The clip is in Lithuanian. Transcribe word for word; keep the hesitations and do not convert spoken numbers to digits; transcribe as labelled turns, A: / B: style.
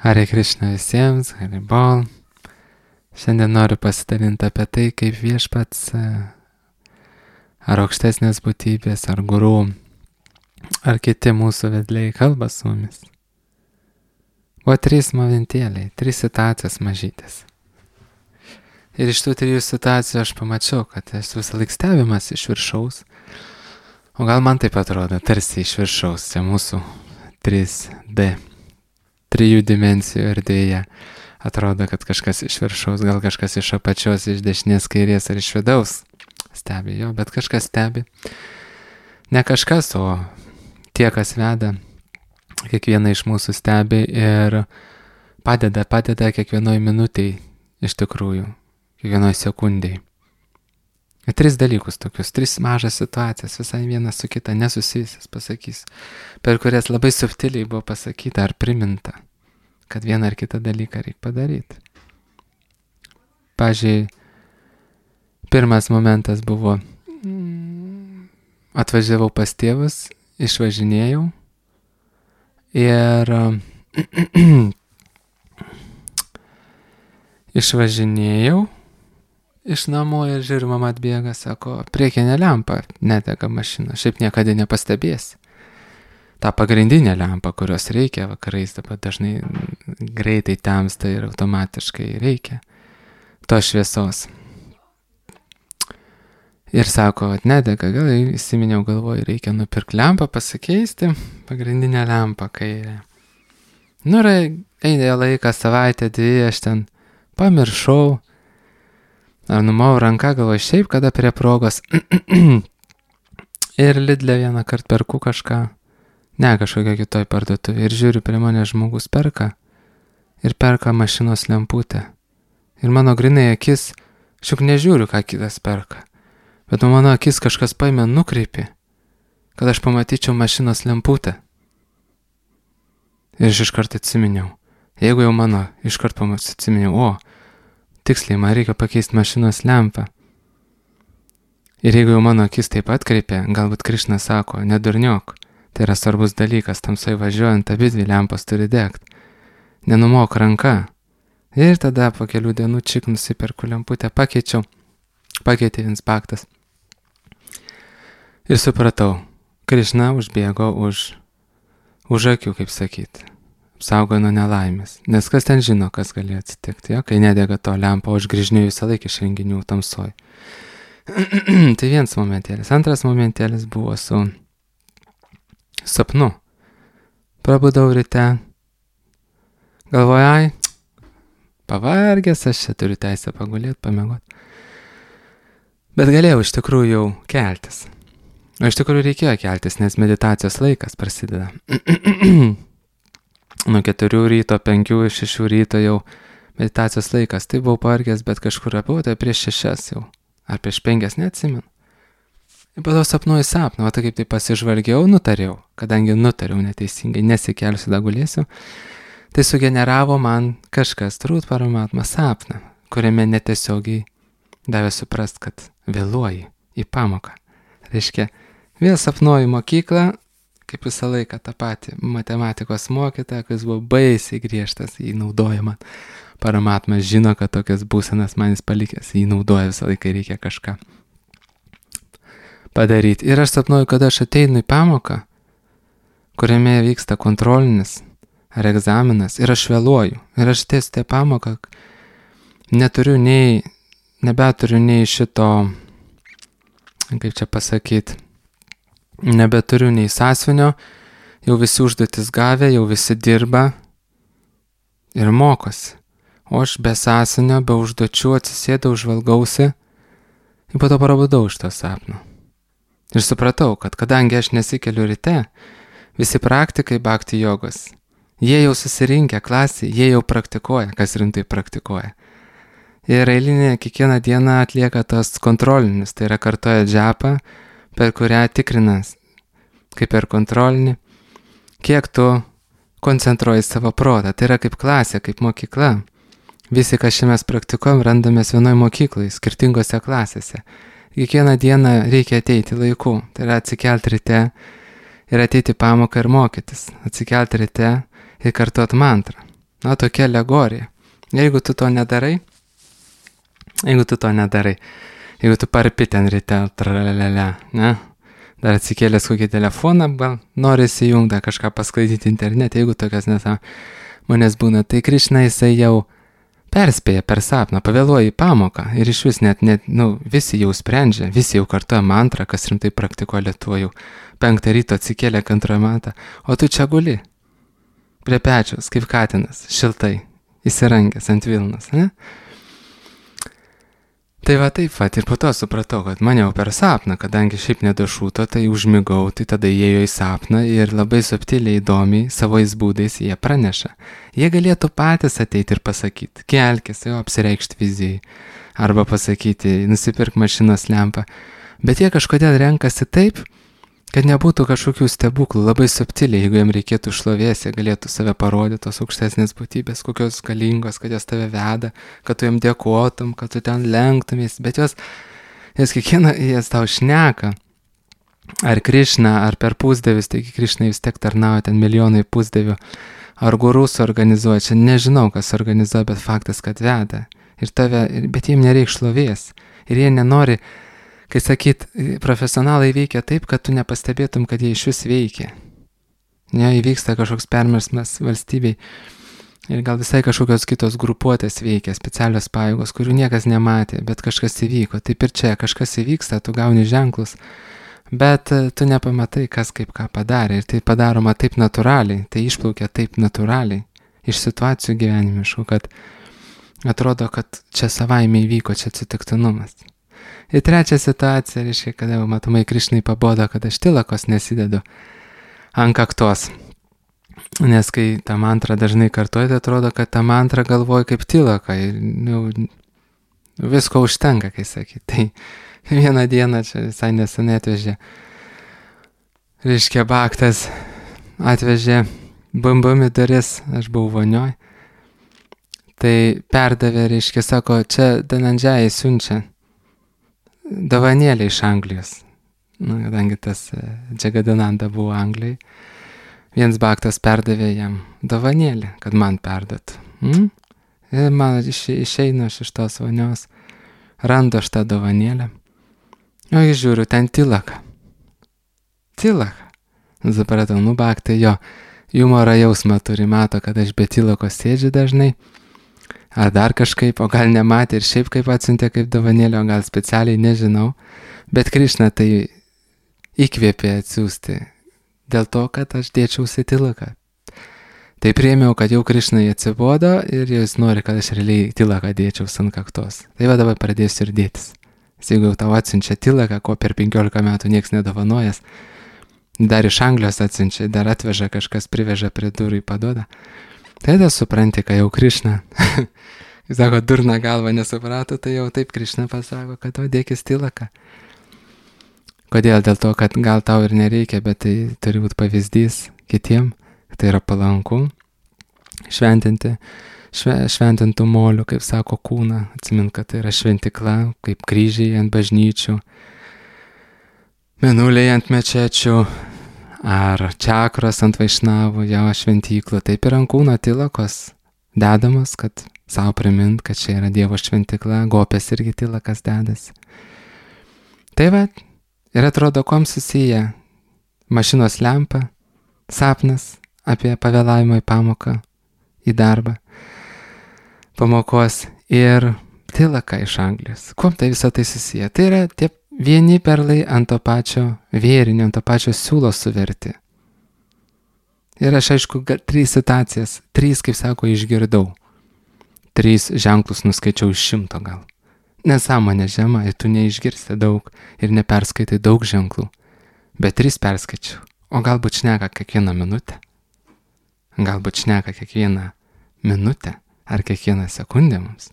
A: Hare Krishna visiems, Hare Bol. Šiandien noriu pasidalinti apie tai, kaip viešpats ar aukštesnės būtybės, ar gurų, ar kiti mūsų vedliai kalba su mumis. Buvo trys momentėliai, trys situacijos mažytės. Ir iš tų trijų situacijų aš pamačiau, kad esu visą laik stebimas iš viršaus. O gal man taip atrodo, tarsi iš viršaus, čia mūsų trys D, trijų dimensijų erdvėje. Atrodo, kad kažkas iš viršaus, gal kažkas iš apačios, iš dešinės, kairės ar iš vidaus stebi jo, bet kažkas stebi. Ne kažkas, o tie, kas veda, kiekvieną iš mūsų stebi ir padeda, padeda kiekvienoj minutėj iš tikrųjų, kiekvienoj sekundėj. Ir tris dalykus tokius, tris mažas situacijas, visai vienas su kita nesusijusias pasakys, per kurias labai subtiliai buvo pasakyta ar priminta, kad vieną ar kitą dalyką reikia padaryti. Pavyzdžiui, pirmas momentas buvo, atvažiavau pas tėvus, išvažinėjau ir išvažinėjau iš namų ir žiūriu, mama atbėga, sako, priekinė lempa nedega mašina, šiaip niekada nepastebėsi. Ta pagrindinė lempa, kurios reikia vakarais, dabar dažnai greitai temsta ir automatiškai reikia tos šviesos. Ir sako, nedega, gal įsiminiau galvoju, reikia nupirkti lempą, pasikeisti, pagrindinę lempą kairę. Nu, eidėjo laiką, savaitę, dvi, aš ten pamiršau, ar numau ranką, galvoju, šiaip kada prie progos. Ir Lidle vieną kartą perku kažką, ne kažkokia kitoj parduotuvė, ir žiūriu, prie mane žmogus perka, ir perka mašinos lemputę. Ir mano grinai akis, šiuk nežiūriu, ką kitas perka, bet mano akis kažkas paėmė nukreipė, kad aš pamatyčiau mašinos lemputę. Ir aš iškart atsiminiau, jeigu jau mano iškart atsiminiau, o, tiksliai, man reikia pakeisti mašinos lempą. Ir jeigu jau mano akis taip atkreipė, galbūt Krišna sako, nedurniok, tai yra svarbus dalykas, tamsai važiuojant, abi dvi lempos turi degti. Nenumok ranka. Ir tada po kelių dienų čik nusiperku lemputę, pakeičiau, pakeitė inspektas. Ir supratau, Krišna užbėgo už, už akių, kaip sakyti. Saugo nuo nelaimės, nes kas ten žino, kas gali atsitikti, ja? Kai nedega to lempa, o aš grįžinėjau visą laiką iš renginių tamsoj. Tai vienas momentėlis. Antras momentėlis buvo su sapnu. Prabudau ryte, galvoju, ai, pavargęs, aš čia turiu teisę pagulėti, pamiegot. Bet galėjau iš tikrųjų jau keltis. O iš tikrųjų reikėjo keltis, nes meditacijos laikas prasideda. Nuo keturių ryto, penkių, šešių ryto jau meditacijos laikas. Tai buvau pavargęs, bet kažkur apie, tai prieš šešias jau. Ar prieš penkias, neatsimenu. Ir po to sapnuoju sapną, o tai kaip tai pasižvalgiau, nutariau. Kadangi nutariau neteisingai, nesikelsiu, da gulėsiu. Tai sugeneravo man kažkas, turbūt Paramatma sapną, kuriame netiesiogiai davė suprast, kad vėluoji į pamoką. Reiškia, vėl sapnuoju mokyklą, kaip visą laiką tą patį matematikos mokytoją, kuris buvo baisiai griežtas, jį naudoja man. Paramatmas žino, kad tokias būsenas manis palikęs, jį naudoja visą laiką, reikia kažką padaryti. Ir aš sapnuoju, kad aš ateinu į pamoką, kuriame vyksta kontrolinis ar egzaminas, ir aš vėluoju. Ir aš tiesiu tą pamoką, neturiu nei, nebeturiu nei šito, kaip čia pasakyti, nebeturiu nei sąsvinio, jau visi užduotis gavę, jau visi dirba ir mokosi. O aš be sąsvinio, be užduočių atsisėdau, žvalgausi ir po to prabudau iš to sapno. Ir supratau, kad kadangi aš nesikeliu ryte, visi praktikai bhakti jogos, jie jau susirinkę klasį, jie jau praktikuoja, kas rimtai praktikuoja. Ir eilinė kiekvieną dieną atlieka tas kontrolinis, tai yra kartoja džapą, per kurią tikrinas, kaip per kontrolinį, kiek tu koncentruoji savo protą. Tai yra kaip klasė, kaip mokykla. Visi, kas čia mes praktikuojam, randamės vienoj mokyklai, skirtingose klasėse. Kiekvieną dieną reikia ateiti laiku, tai yra atsikelti ryte ir ateiti pamoką ir mokytis. Atsikelti ryte ir kartuot mantrą. Na, tokia alegorija. Jeigu tu to nedarai, jeigu tu to nedarai, jeigu tu parpi ten ryte, tralelele, ne? Dar atsikėlęs kokį telefoną, gal nori įsijungti kažką pasklaidyti internete, jeigu tokias nesąmonės būna, tai Krišna jisai jau perspėja per sapną, pavėluoja į pamoką ir iš vis net, net, nu, visi jau sprendžia, visi jau kartuoja mantrą, kas rimtai praktikuoja Lietuvoje, jau penktą ryto atsikėlė antrą matą, o tu čia guli, prie pečiaus, kaip katinas, šiltai, įsirangęs ant Vilnos, ne? Tai va taip va, ir po to supratau, kad maniau per sapną, kadangi šiaip nedašūto, tai užmigau, tai tada įėjo į sapną ir labai subtiliai įdomiai savais būdais jie praneša. Jie galėtų patys ateiti ir pasakyti, kelkis, jau apsireikšti vizijai, arba pasakyti, nusipirk mašinos lempą, bet jie kažkodėl renkasi taip, kad nebūtų kažkokių stebuklų, labai subtiliai, jeigu jiem reikėtų šlovės, jie galėtų save parodyti, tos aukštesnės būtybės, kokios galingos, kad jos tave veda, kad tu jiem dėkotum, kad tu ten lenktumės, bet jos, jos kiekvieną, jas tau šneka, ar Krišna, ar per pusdevius, taigi Krišna vis tiek tarnauja ten milijonai pusdevių, ar gurų suorganizuoja, čia nežinau, kas organizuoja, bet faktas, kad veda, ir tave, bet jiem nereik šlovės, ir jie nenori. Kai sakyt, profesionalai veikia taip, kad tu nepastebėtum, kad jie iš vis veikia. Ne, įvyksta kažkoks permersmas valstybei ir gal visai kažkokios kitos grupuotės veikia, specialios pajėgos, kurių niekas nematė, bet kažkas įvyko. Taip ir čia, kažkas įvyksta, tu gauni ženklus, bet tu nepamatai, kas kaip ką padarė. Ir tai padaroma taip natūraliai, tai išplaukia taip natūraliai iš situacijų gyvenimiškų, kad atrodo, kad čia savaime įvyko, čia atsitiktinumas. Ir trečia situacija, reiškia, kada jau matomai Krišnai pabodo, kad aš tilakos nesidedu ant kaktos. Nes kai tą mantrą dažnai kartuoju, tai atrodo, kad tą mantrą galvoju kaip tilaka. Ir nu, visko užtenka, kai sakyti. Tai vieną dieną čia visai nesenai atvežė, reiškia, baktas atvežė bum-bum į duris, aš buvau vonioj. Tai perdavė, reiškia, sako, čia Danandžiai siunčia dovanėlė iš Anglijos. Na, kadangi tas Džagadananda buvo Anglijai, viens baktas perdavė jam dovanėlę, kad man perdat. Mm? Ir man iš, išeinu aš iš tos vonios, randu aš tą dovanėlę. O aš žiūriu, ten tilaka. Tilaka. Supratau, nu baktai jo, humoro jausmą turi, mato, kad aš be tilakos sėdžiu dažnai. Ar dar kažkaip, o gal nematė ir šiaip kaip atsiuntė kaip dovanėlė, o gal specialiai, nežinau. Bet Krišna tai įkvėpė atsiųsti dėl to, kad aš dėčiausi tilaką. Tai priėmiau, kad jau Krišnai atsibodo ir jis nori, kad aš realiai tilaką dėčiaus ant kaktos. Tai va dabar pradėsiu ir dėtis. Jeigu jau tau atsiunčia tilaką, ko per penkiolika metų nieks nedovanojas, dar iš Anglijos atsiunčia, dar atveža kažkas, priveža prie durų į paduoda. Tai tada supranti, kad jau Krišna, jis sako, durna galva nesuprato, tai jau taip Krišna pasako, kad o dėkis tilaką. Kodėl? Dėl to, kad gal tau ir nereikia, bet tai turi būti pavyzdys kitiem, tai yra palanku šventinti, šve, šventintų molių, kaip sako, kūną, atsimint, kad tai yra šventikla, kaip kryžiai ant bažnyčių, mėnuliai ant mečečių, ar čakros ant vaišnavų, jo šventyklų, taip ir ant kūno tilakos dedamos, kad savo primint, kad čia yra Dievo šventikla, gopės irgi tilakas dedasi. Tai va, ir atrodo, kuom susiję mašinos lempa, sapnas apie pavėlavimą į pamoką, į darbą, pamokos ir tilaka iš Anglijos. Kuom tai visą tai susiję? Tai yra tie vieni perlai ant to pačio vėrinio, ant to pačio siūlo suverti. Ir aš aišku, trys situacijas, trys, kaip sako, išgirdau. Trys ženklus nuskaičiau iš šimto gal. Nesąmonė žema, ir tu neišgirsti daug ir neperskaitai daug ženklų. Bet trys perskaičiau. O galbūt šneka kiekvieną minutę. Galbūt šneka kiekvieną minutę ar kiekvieną sekundę mums.